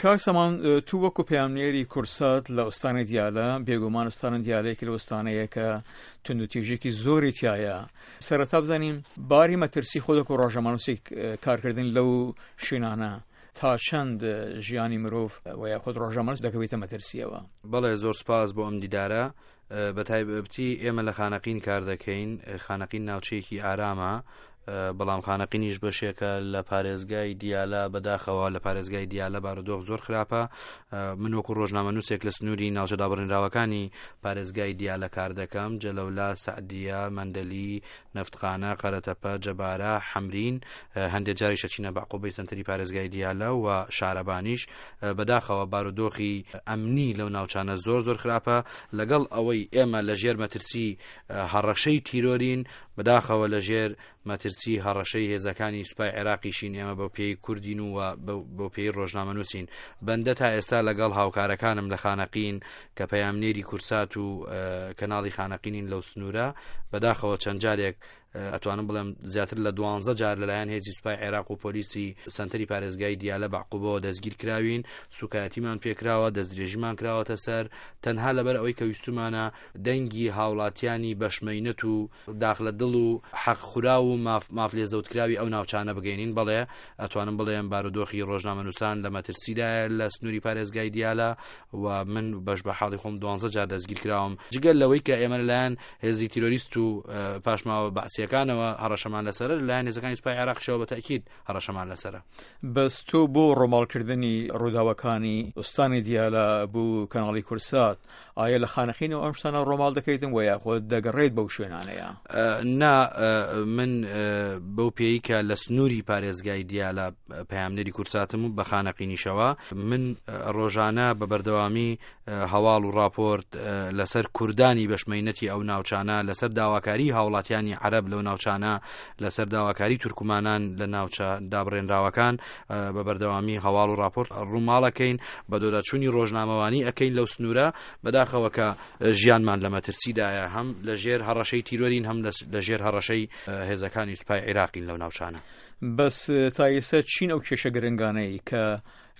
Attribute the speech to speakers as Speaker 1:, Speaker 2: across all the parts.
Speaker 1: کاک سامان تو وەکو پەیامنێری کوردسات لە ئوستانی دیالە، بێگومان ئوستانی دیالە یەکێک لە ئوستانەیە کە توندوتیژێکی زۆری تایە. سەرەتا بزانین باری مەترسی خۆت وەکو ڕۆژنامەنووسێک کارکردن لەو شوێنانە تا چەند ژیانی مرۆڤ و یاخود ڕۆژنامەنووس دەکەوێتە مەترسیەوە؟
Speaker 2: بەڵێ زۆر سپاس بۆ ئەم دیدارە. بە تایبەتی ئێمە لە خانەقین کار دەکەین خانەقین ناوچەیەکی ئارامە بەڵام خانەقینیش بەشێکە لە پارێزگای دیالە بەداخەوە لە پارێزگای دیالە بارودۆخ زۆر خراپە من وەکو ڕۆژنامە نووسێک لە سنووری ناوچە دابڕێنراوەکانی پارێزگای دیالە کار دەکەم جەلەولا سعدیە مەندەلی نەفتخانە قەرەتەپە جەبارە حەمرین هەندێک جاریش ئەچینە بەعقوبەی سەنتەری پارێزگای دیالە و شارەبانیش بەداخەوە بارودۆخی ئەمنی لەو ناوچانە زۆر زۆر خراپە لەگەڵ ئەوەی ئێمە لە ژێر مەترسی هەڕەشەی تیرۆرین بەداخەوە لە ژێر مەترسی هەڕەشەی هێزەکانی سوپای عێراقیشین ئێمە بە پێی کوردین و بۆ پێی ڕۆژنامەنووسین بەندە تا ئێستا لەگەڵ هاوکارەکانم لە خانەقین کە پەیامنێری کورسات و کەناڵی خانەقینین لەو سنوورە بەداخەوە چەند جارێک ئەتوانم بڵێم زیاتر لە دوانزە جار لەلایەن هێزی سوپای عێراق و پۆلیسی سەنتەری پارێزگای دیالە بەعقوبەوە دەستگیر کراوین سوکایەتیمان پێکراوە دەستدرێژیمان کراوەتە سەر تەنها لەبەر ئەوەی کە ویستومانە دەنگی هاوڵاتیانی بەشمەینەت و داخ لە دڵ و حەق خوراو و ماف ماف لێزەوتکراوی ئەو ناوچانە بگەینین بەڵێ ئەتوانم بڵێم بارودۆخی ڕۆژنامەنووسان لە مەترسیدایە لە سنووری پارێزگای دیالە و من بەش بە حاڵی خۆم دوانزە جار دەستگیر کراوم جگە لەوەی کە ئێمە لەلایەن هێزی تیرۆریست و پاشماوە بەعسیەکانەوە هەڕەشەمان لەسەرە لەلایەن هێزەکانی سوپای عێراقیشەوە بە تەئکید هەڕەشەمان لەسەرە.
Speaker 1: بەس تۆ بۆ ڕۆماڵکردنی ڕووداوەکانی ئوستانی دیالە بۆ کەناڵی کوردسات ئایا لە خانەقینەوە ئەم شتانە ڕۆماڵ دەکەیتن وە یاخود دەگەڕێیت بەو شوێنانەیە؟
Speaker 2: نا من بەو پێی کە لە سنووری پارێزگای دیالە پەیامنێری کورساتم و بە خانەقینیشەوە من ڕۆژانە بە بەردەوامی هەواڵ و ڕاپۆرت لەسەر کوردانی بەشمەینەتی ئەو ناوچانە لەسەر داواکاری هاوڵاتیانی عەرەب لەو ناوچانە لەسەر داواکاری تورکمانان لە ناوچە دابڕێنراوەکان بە بەردەوامی هەواڵ و ڕاپۆرت ڕووماڵەکەین بە دۆداچوونی ڕۆژنامەوانی ئەەکەین لەو سنوورە بەداخەوە کە ژیانمان لە مەترسیدایە هەم لە ژێر هەڕەشەی تیرۆرین هەم لە ژێر هەڕەشەی هێزەکانی سوپای عێراقین لەو ناوچانە.
Speaker 1: بەس تا ئێستا چین ئەو کێشە گرنگانەی کە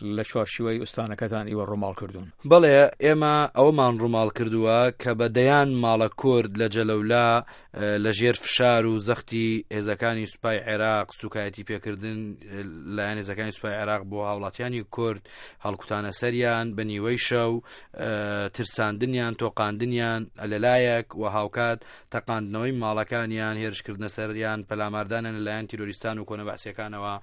Speaker 1: لە چوارچیوەی ئوستانەکەتان ئیوە ڕووماڵ کردوون؟
Speaker 2: بەڵێ ئێمە ئەوەمان ڕووماڵ کردووە کە بە دەیان ماڵە کورد لە جەلەولا لە ژێر فشار و زەختی هێزەکانی سوپای عێراق سوکایەتی پێکردن لایەن هێزەکانی سوپای عێراق بۆ هاوڵاتیانی کورد هەڵکوتانە سەریان بە نیوەی شەو ترساندنیان تۆقاندنیان لەلایەک و هاوکات تەقاندنەوەی ماڵەکانیان، هێرشکردنە سەریان، پەلاماردانیان لەلایەن تیرۆریستان و کۆنە بەعسیەکانەوە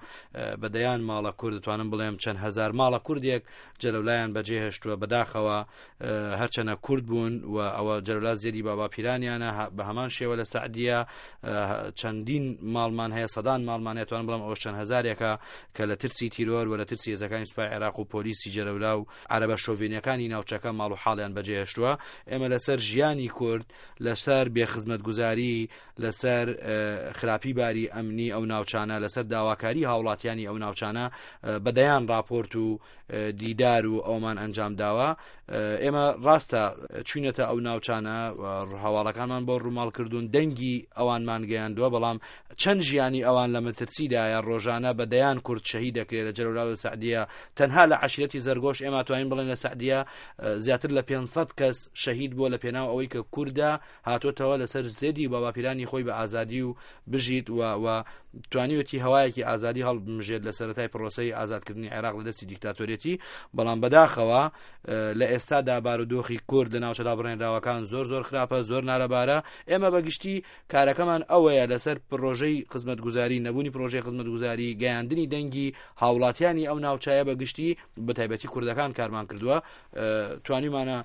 Speaker 2: بە دەیان ماڵە کورد دەتوانم بڵێم چەند هەزار ماڵە کوردێک جەلەولایان بەجێهێشتووە بەداخەوە هەرچەنە کورد بوون و ئەوە جەلەولا زێدی بابا پیرانیانە بە هەمان شێوە لە سعدیە چەندین ماڵمان هەیە سەدان ماڵمان هەیە توانم بڵێم ئەوە چەند هەزارێکە کە لە ترسی تیرۆر و لە ترسی هێزەکانی سوپای عێراق و پۆلیسی جەلەولا و عەرەبە شۆڤێنیەکانی ناوچەکە ماڵ و حاڵیان بەجێهێشتووە ئێمە لەسەر ژیانی کورد لەسەر بێخزمەتگوزاری، لەسەر خراپی باری ئەمنی ئەو ناوچانە، لەسەر داواکاری هاوڵاتیانی ئەو ناوچانە بە دەیان ڕاپۆرت و دیدار و ئەومان ئەنجام داوە. ئێمە ڕاستە چوینەتە ئەو ناوچانە، هەواڵەکانمان بۆ ڕووماڵ کردوون، دەنگی ئەوانمان گەیاندووە، بەڵام چەند ژیانی ئەوان لە مەترسیدایە، ڕۆژانە بە دەیان کورد شەهید دەکرێت لە جەلەولا و سەعدیە، تەنها لە عەشیرەتی زەرگۆش ئێمە توانین بڵێن لە سەعدیە زیاتر لە 500 کەس شەهید بووە لە پێناو ئەوەی کە کوردە هاتۆتەوە لەسەر زێدی باوباپیرانی خۆی بە ئازادی و بژیت و و توانیوێتی هەوایەکی ئازادی هەڵبمژێت لە سەرەتای پرۆسەی ئازادکردنی عێراق لە دەستی دیکتاتۆریەتی بەڵام بەداخەوە لە ئێستادا بارودۆخی کورد لە ناوچە دابڕێنراوەکان زۆر زۆر خراپە زۆر نالەبارە ئێمە بەگشتی کارەکەمان ئەوەیە لەسەر پرۆژەی خزمەتگوزاری نەبوونی پرۆژەی خزمەتگوزاری گەیاندنی دەنگی هاوڵاتیانی ئەو ناوچەیە بە گشتی بە تایبەتی کوردەکان کارمان کردووە توانیمانە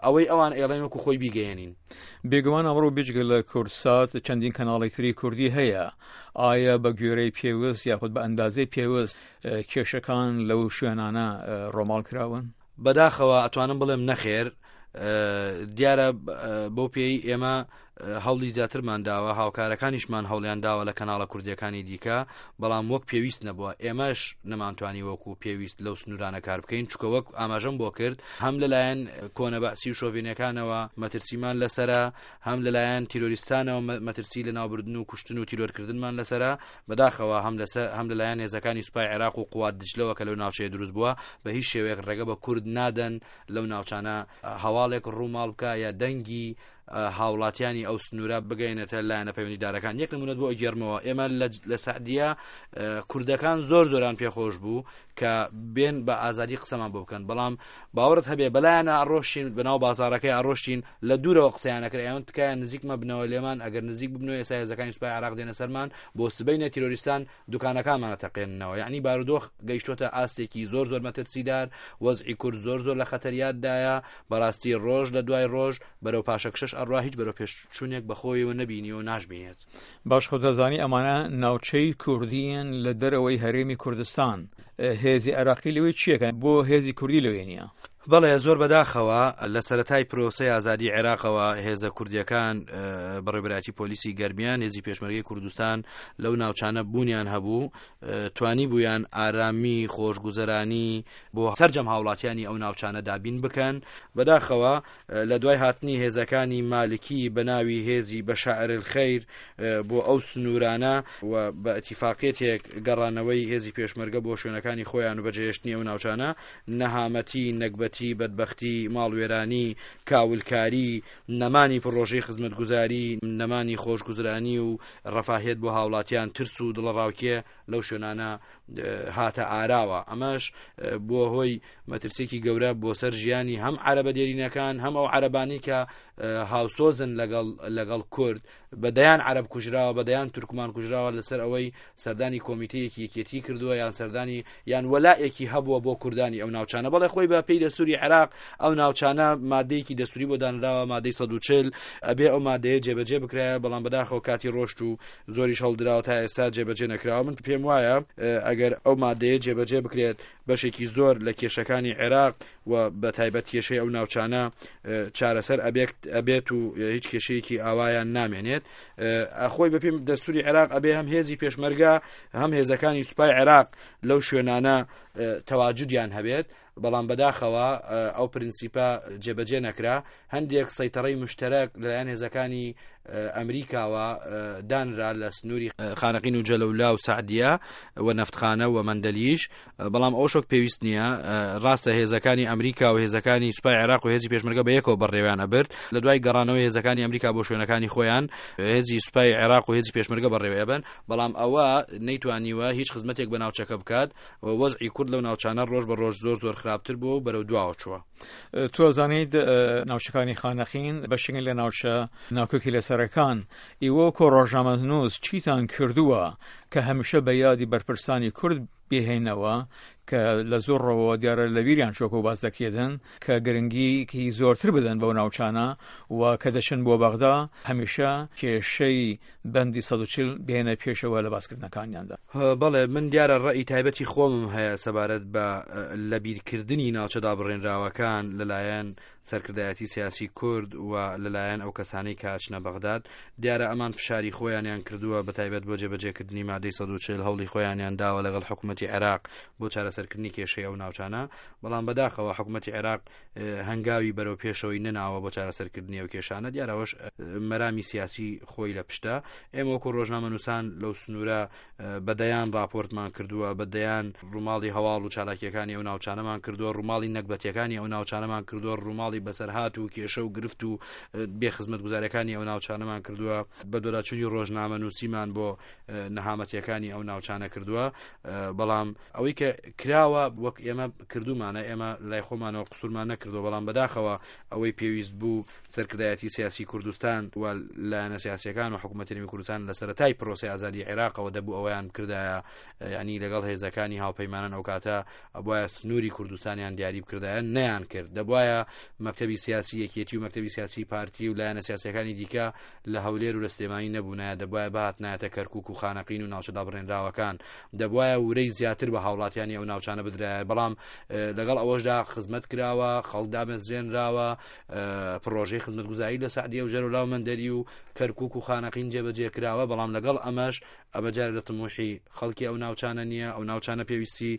Speaker 2: ئەوەی ئەوان ئێڵێن وەکو خۆی بیگەیەنین.
Speaker 1: بێگومان ئەمڕۆ بێجگە لە کوردسات چەندین کەناڵی تری کوردی هەیە ئایا بە گوێرەی پێویست یاخود بە ئەندازەی پێویست کێشەکان لەو شوێنانە ڕۆماڵ کراون؟
Speaker 2: بەداخەوە ئەتوانم بڵێم نەخێر دیارە بەو پێی ئێمە هەوڵی زیاترمان داوە، هاوکارەکانیشمان هەوڵیان داوە لە کەناڵە کوردییەکانی دیکە، بەڵام وەک پێویست نەبووە. ئێمەش نەمانتوانی وەکو پێویست لەو سنوورانە کار بکەین، چونکە وەک ئاماژەم بۆ کرد هەم لەلایەن کۆنە بەعسی و شۆڤێنییەکانەوە مەترسیمان لەسەرە، هەم لەلایەن تیرۆریستانەوە مەترسی لەناوبردن و کوشتن و تیرۆرکردنمان لەسەرە. بەداخەوە هەم لەسەر هەم لەلایەن هێزەکانی سوپای عێراق و قوات دجلەوە کە لەو ناوچەیە دروست بووە، بە هیچ شێوەیەک ڕێگە بە کورد نادەن لەو ناوچانە هەواڵێک ڕووماڵ بکا یا دەنگی هاوڵاتیانی ئەو سنوورە بگەینێتە لایەنە پەیوەندیدارەکان. یەک نمونەت بۆ ئەگێڕمەوە، ئێمە لە سەعدیە کوردەکان زۆر زۆران پێخۆش بوو کە بێن بە ئازادی قسەمان بۆ بکەن، بەڵام باوەڕت هەبێ بەلایەنە ئەڕۆشتین بەناو بازاڕەکەی ئەڕۆشتین لە دوورەوە قسەیان ئەکرد، ئەیان تکایە نزیک مەبنەوە لێمان، ئەگەر نزیک ببنەوە ئێستا هێزەکانی سوپای عێراق دێنە سەرمان، بۆ سبەینێ تیرۆریستان دوکانەکانمان ئەتەقێننەوە. یەعنی بارودۆخ گەیشتۆتە ئاستێکی زۆر زۆر مەترسیدار، وەزعی کورد زۆر زۆر لە خەتەریاتدایە، بەڕاستی ڕۆژ لە دوای ڕۆژ بەرەو پاشەکشەش ئەڕوا، هیچ بەرەو پێشچوونێک بەخۆیەوە نەبینیوە و ناشبینێت.
Speaker 1: باش خۆت دەزانی ئەمانە ناوچەی کوردیین لە دەرەوەی هەرێمی کوردستان، هێزی عێراقی لەوێ چیەکەن؟ بۆ هێزی کوردی لەوێ نییە؟
Speaker 2: بەڵێ زۆر بەداخەوە لە سەرەتای پرۆسەی ئازادی عێراقەوە هێزە کوردیەکان بەڕێوەبەرایەتی پۆلیسی گەرمیان هێزی پێشمەرگەی کوردستان لەو ناوچانە بوونیان هەبوو توانی بوویان ئارامی خۆشگوزەرانی بۆ سەرجەم هاوڵاتیانی ئەو ناوچانە دابین بکەن بەداخەوە لە دوای هاتنی هێزەکانی مالکی بە ناوی هێزی بەشائر الخیر بۆ ئەو سنوورانە و بە ئیتیفاقیەتێک گەڕانەوەی هێزی پێشمەرگە بۆ شوێنەکانی خۆیان و بەجێهێشتنی ئەو ناوچانە نەهامەتی، نەگبەتی، بەدبەختی، ماڵوێرانی، کاولکاری، نەمانی پڕۆژەی خزمەتگوزاری، نەمانی خۆشگوزرانی و ڕەفاهیەت بۆ هاوڵاتیان، ترس و دڵەڕاوکێ لەو شوێنانە هاتە ئاراوە. ئەمەش بووە هۆی مەترسییەکی گەورە بۆ سەر ژیانی هەم عەرەبە دێرینەکان، هەم ئەو عەرەبانەی کە هاوسۆزن لەگەڵ لەگەڵ کورد. بە دەیان عەرەب کوژراوە، بە دەیان تورکمان کوژراوە لەسەر ئەوەی سەردانی کۆمیتەیەکی یەکێتی کردووە یان سەردانی یان وەلائێکی هەبووە بۆ کوردانی ئەو ناوچانە. بەڵێ خۆی بە پێی دەستوری عێراق ئەو ناوچانە مادەیەکی دەستوری بۆ دانراوە، مادەی 140، ئەبێ ئەو مادەیە جێبەجێ بکرایە، بەڵام بەداخەوە کاتی ڕۆشت و زۆریش هەڵدراوە تا ئێستا جێبەجێ نەکراوە. من پێم وایە ئەگەر ئەو مادەیە جێبەجێ بکرێت بەشێکی زۆر لە کێشەکانی عێراق و بە تایبەت کێشەی ئەو ناوچانە چارەسەر ئەبێت ئەبێت و هیچ کێشەیەکی ئاوایان نامێنێت. خۆی بەپێی دەستوری عێراق ئەبێ هەم هێزی پێشمەرگە هەم هێزەکانی سوپای عێراق لەو شوێنانە تەواجودیان هەبێت، بەڵام بەداخەوە ئەو پرنسیپە جێبەجێ نەکرا. هەندێک سەیتەڕەی مشتەرەک لەلایەن هێزەکانی ئەمریکاوە دانرا لە سنووری خانەقین و جەلەولا و سەعدیە و نەفتخانە و مەندەلیش، بەڵام ئەوەش وەک پێویست نییە. ڕاستە هێزەکانی ئەمریکا و هێزەکانی سوپای عێراق و هێزی پێشمەرگە بە یەکەوە بەڕێوەیان ئەبرد. لە دوای گەڕانەوەی هێزەکانی ئەمریکا بۆ شوێنەکانی خۆیان، هێزی سوپای عێراق و هێزی پێشمەرگە بەڕێوەی ئەبەن، بەڵام ئەوە نەیتوانیوە هیچ خزمەتێک بە ناوچەکە بکات و وەزعی کورد لەو ناوچانە ڕۆژ بە ڕۆژ زۆر زۆر خراپتر بووە و بەرەو دواوە چووە.
Speaker 1: تۆ ئەزانیت ناوچەکانی خانەقین بەشێکن لە ناوچە ناکۆکی لەسەرەکان، ئیوە وەکۆ ڕۆژنامەنووس چیتان کردووە کە هەمیشە بە یادی بەرپرسانی کورد بهێنەوە کە لە زۆر ڕەوەوە دیارە لە بیریان چۆکە و باس دەکرێتن کە گرنگیکی زۆرتر بدەن بەو ناوچانە و کە دەچن بۆ بەغدا هەمیشە کێشەی بەندی 140 بێنە پێشەوە لە باسکردنەکانیاندا.
Speaker 2: بەڵێ من دیارە ڕەئی تایبەتی خۆمم هەیە سەبارەت بە لەبیرکردنی ناوچە دابڕێنراوەکان لەلایەن سەرکردایەتی سیاسی کورد و لەلایەن ئەو کەسانەی کە ئەچنە بەغداد. دیارە ئەمان فشاری خۆیانیان کردووە بەتایبەت بۆ جێبەجێکردنی مادەی 140 هەوڵی خۆیانیان داوە لەگەڵ حکومەتی عێراق بۆ چارەسەرکردنی کێشەی ئەو ناوچانە، بەڵام بەداخەوە حکومەتی عێراق هەنگاوی بەرەو پێشەوەی نەناوە بۆ چارەسەرکردنی ئەو کێشانە. دیارە ئەوەش مەرامی سیاسی خۆی لە پشتە. ئێمە وەکو ڕۆژنامەنووسان لەو سنوورە بە دەیان ڕاپۆرتمان کردووە، بە دەیان ڕووماڵی هەواڵ و چالاکییەکانی ئەو ناوچانەمان کردووە، ڕووماڵی نەگبەتییەکانی ئەو ناوچانەمان کردووە، ڕووماڵی بەسەرهات و کێشە و گرفت و بێ خزمەتگوزارییەکانی ئەو ناوچانەمان کردووە، بەدواداچوونی ڕۆژنامەنووسیمان بۆ نەهامەتییەکانی ئەو ناوچانە کردووە. بەڵام ئەوەی کە کراوە وەک ئێمە کردومانە، ئێمە لای خۆمانەوە قسوورمان نەکردووە، بەڵام بەداخەوە ئەوەی پێویست بوو سەرکردایەتی سیاسی کوردستان و لایەنە سیاسیەکان و حکوومەتی هەرێمی کوردستان لە سەرەتای پرۆسەی ئازادی عێراقەوە دەبوو ئەوەیان بکردایە، یعنی لەگەڵ هێزەکانی هاوپەیمانان ئەو کاتە ئەبوایە سنووری کوردستانیان دیاری بکردایە، نەیان کرد. دەبوایە مەکتەبی سیاسی یەکێتی و مەکتەبی سیاسی پارتی و لایەنە سیاسیەکانی دیکە لە هەولێر و لە سلێمانی نەبوونایە، دەبوایە بهاتنایەتە کەرکوک و خانەقین و ناوچە دابڕێنراوەکان، دەبوایە ورەی زیاتر بە هاوڵاتیانی ئەو ناوچە. ناوچانە بدرایە بەڵام لەگەڵ ئەوەشدا خزمەت کراوە خەڵک دامەزرێنراوە پڕۆژەی خزمەتگوزاری لە سەعدیە و جەلەولا و مەندەلی و کەرکوک و خانەقین جێبەجێ کراوە بەڵام لەگەڵ ئەمەش ئەمە جارێ لە تموحی خەڵکی ئەو ناوچانە نییە ئەو ناوچانە پێویستی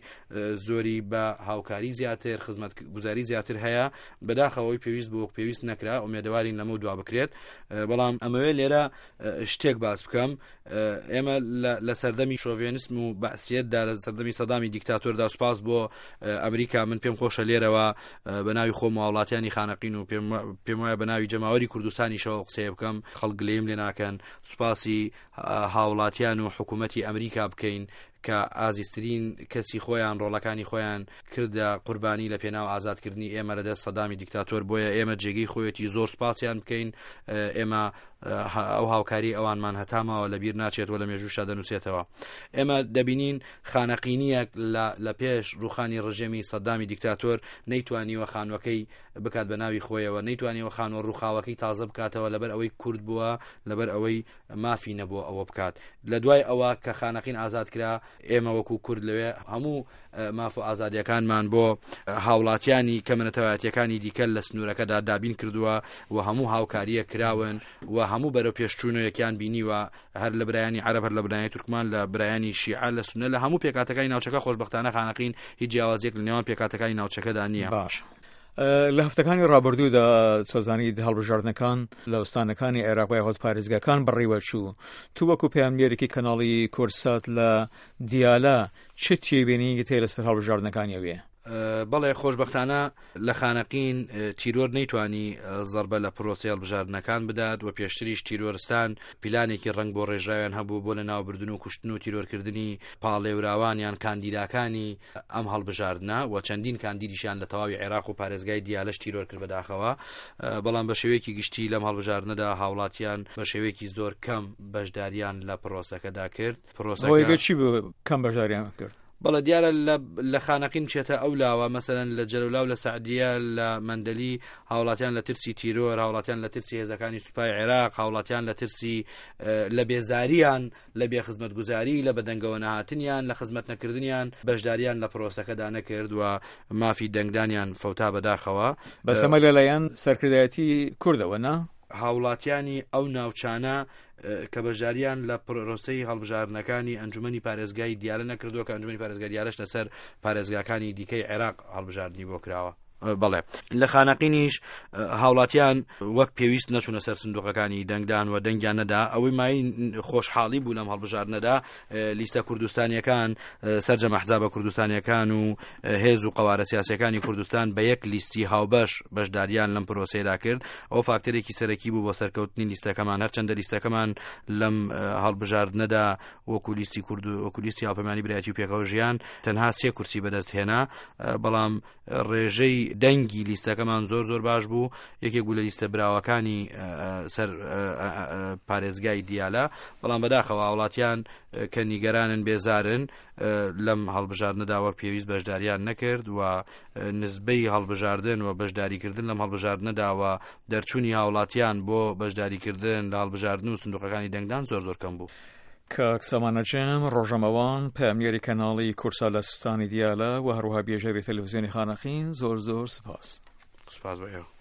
Speaker 2: زۆری بە هاوکاری زیاتر خزمەت گوزاری زیاتر هەیە بەداخەوەی پێویست بۆ پێویست نەکرا ئومێدەوارین لەمە دوا بکرێت بەڵام ئەمەوێ لێرە شتێک باس بکەم ئێمە لە سەردەمی شۆڤێنسم و بەعسیەتدا لە سەردەمی سەدامی دیکتاتۆردا سوپاس بۆ ئەمریکا من پێم خۆشە لێرەوە بە ناوی خۆم هاوڵاتیانی خانەقین و پێم وایە بە ناوی جەماوەری کوردستانیشەوە قسەیە بکەم خەڵک گلەیم لێ ناکەن سوپاسی هاوڵاتیان و حکوومەتی ئەمریکا بکەین کە ئازیزترین کەسی خۆیان ڕۆڵەکانی خۆیان کردە قوربانی لە پێناو ئازادکردنی ئێمە لە دەست سەدامی دیکتاتۆر بۆیە ئێمە جێگەی خۆیەتی زۆر سوپاسیان بکەین ئێمە ئەو هاوکاری ئەوانمان هەتا ماوە لە بیر ناچێت و لە مێژووشدا دەنووسێتەوە ئێمە دەبینین خانەقینیەک لە پێش ڕوخانی ڕژێمی سەدامی دیکتاتۆر نەیتوانیوە خانوەکەی بکات بە ناوی خۆیەوە نەیتوانیوە خانوە ڕوخاوەکەی تازە بکاتەوە لەبەر ئەوەی کورد بووە لەبەر ئەوەی مافی نەبووە ئەوە بکات لە دوای ئەوە کە خانەقین ئازاد کرا ئێمە وەکو کورد لەوێ هەموو ماف و ئازادیەکانمان بۆ هاوڵاتیانی کەمەنەتەوایەتیەکانی دیکە لە سنوورەکەدا دابین کردووە و هەموو هاوکاریە کراون و هەموو بەرەو پێشچوونەیەکیان بینیوە هەر لە برایانی عەرەب هەر لە برایانی تورکمان لە برایانی شیعە لە سونە لە هەموو پێکاتەکانی ناوچەکە خۆشببختانە خانەقین هیچ جیاوازیەک لە نێوان پێکاتەکانی ناوچەکەدا نییە.
Speaker 1: باش. لە هەفتەکانی ڕابردوودا سۆزانی هەڵبژاردنەکان لە ئوستانەکانی عێراق و یاخود پارێزگاکان بەڕیوە چوو تو وەکو پەیامنێرێکی کەناڵی کورسات لە دیالە چ تێبینیت هەیە لەسەر هەڵبژاردنەکانی ئەوێ؟
Speaker 2: بەڵێ خۆشبەختانە لە خانەقین تیرۆر نەیتوانی زەربە لە پرۆسەی هەڵبژاردنەکان بدات و پێشتریش تیرۆرستان پیلانێکی ڕەنگ بۆ ڕێژراویان هەبوو بۆ لەناوبردن و کوشتن و تیرۆرکردنی پاڵێوراوان یان کاندیداکانی ئەم هەڵبژاردنە و چەندین کاندیدیشیان لە تەواوی عێراق و پارێزگای دیالەش تیرۆر کرد بەداخەوە بەڵام بە شێوەیەکی گشتی لەم هەڵبژاردنەدا هاوڵاتیان بە شێوەیەکی زۆر کەم بەشداریان لە پرۆسەکەدا کرد
Speaker 1: پرۆسەکە چی بوو کەم بەشداریان کرد؟
Speaker 2: بەڵێ دیارە لە خانەقین بچێتە ئەو لاوە مەسەلەن لە جەلەولا و لە سەعدیە لە مەندەلی هاوڵاتیان لە ترسی تیرۆر هاوڵاتیان لە ترسی هێزەکانی سوپای عێراق هاوڵاتیان لە ترسی لە بێزاریان لە بێخزمەتگوزاری لە بەدەنگەوە نەهاتنیان لە خزمەت نەکردنیان بەشداریان لە پرۆسەکەدا نەکرد و مافی دەنگدانیان فەوتا بەداخەوە.
Speaker 1: بەس ئەمە لەلایەن سەرکردایەتی کوردەوە نا؟
Speaker 2: هاوڵاتیانی ئەو ناوچانە کە بەشداریان لە پرۆسەی هەڵبژاردنەکانی ئەنجومەنی پارێزگای دیالە نەکردووە کە ئەنجومەنی پارێزگای دیالەش لەسەر پارێزگاکانی دیکەی عێراق هەڵبژاردنی بۆ کراوە. بەڵێ لە خانەقینیش هاوڵاتیان وەک پێویست نەچوونە سەر سندوقەکانی دەنگدان و دەنگیان نەدا ئەوەی مای خۆشحاڵی بوو لەم هەڵبژاردنەدا لیستە کوردستانیەکان سەرجەم ئەحزابە کوردستانیەکان و هێز و قەوارە سیاسەکانی کوردستان بە یەک لیستی هاوبەش بەشداریان لەم پرۆسەیەدا کرد ئەو فاکتەرێکی سەرەکی بوو بۆ سەرکەوتنی لیستەکەمان هەرچەندە لیستەکەمان لەم هەڵبژاردنەدا وەکو لیستی کورد و وەکو لیستی هاوپەیمانی برایەتی و پێکەوە ژیان تەنها سێ کورسی بەدەست هێنا بەڵام ڕێژەی دەنگی لیستەکەمان زۆر زۆر باش بوو یەکێک بوو لە لیستە براوەکانی سەر پارێزگای دیالە بەڵام بەداخەوە هاوڵاتیان کە نیگەرانن بێزارن لەم هەڵبژاردنەدا وەک پێویست بەشداریان نەکرد و نزبەی هەڵبژاردن و بەشداریکردن لەم هەڵبژاردنەدا و دەرچوونی هاوڵاتیان بۆ بەشداریکردن لە هەڵبژاردن و سندوقەکانی دەنگدان زۆر زۆر کەم بوو.
Speaker 1: کاک سامان نەجم، ڕۆژەمەوان، پەیامنێری کەناڵی کورسا لە سوستانی دیالە و هەروەها بێژەری تەلەفزیۆنی خانەقین، زۆر زۆر سپاس.
Speaker 2: سپاس بۆ ئێوە.